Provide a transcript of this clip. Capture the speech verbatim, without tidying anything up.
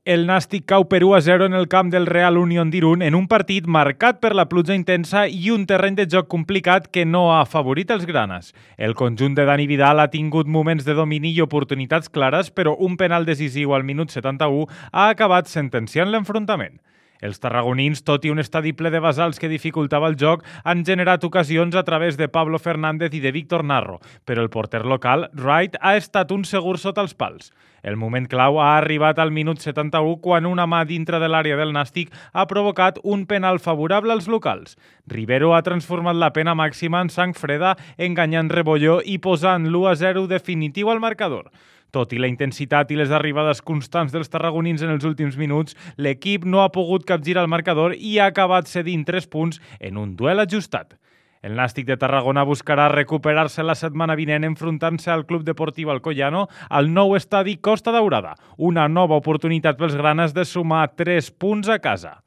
El Nàstic cau per u a zero en el camp del Real Unión d'Irún en un partit marcat per la pluja intensa i un terreny de joc complicat que no ha afavorit els granes. El conjunt de Dani Vidal ha tingut moments de domini i oportunitats clares, però un penal decisiu al minut setanta-u ha acabat sentenciant l'enfrontament. Els tarragonins, tot i un estadi ple de basals que dificultava el joc, han generat ocasions a través de Pablo Fernández i de Víctor Narro, però el porter local, Wright, ha estat un segur sota els pals. El moment clau ha arribat al minut setanta-u quan una mà dintre de l'àrea del Nàstic ha provocat un penal favorable als locals. Rivero ha transformat la pena màxima en sang freda, enganyant Rebolló i posant l'u a zero definitiu al marcador. Tot i la intensitat i les arribades constants dels tarragonins en els últims minuts, l'equip no ha pogut capgirar el marcador i ha acabat cedint tres punts en un duel ajustat. El Nàstic de Tarragona buscarà recuperar-se la setmana vinent enfrontant-se al Club Deportiu Alcoyano al nou estadi Costa Daurada, una nova oportunitat pels granes de sumar tres punts a casa.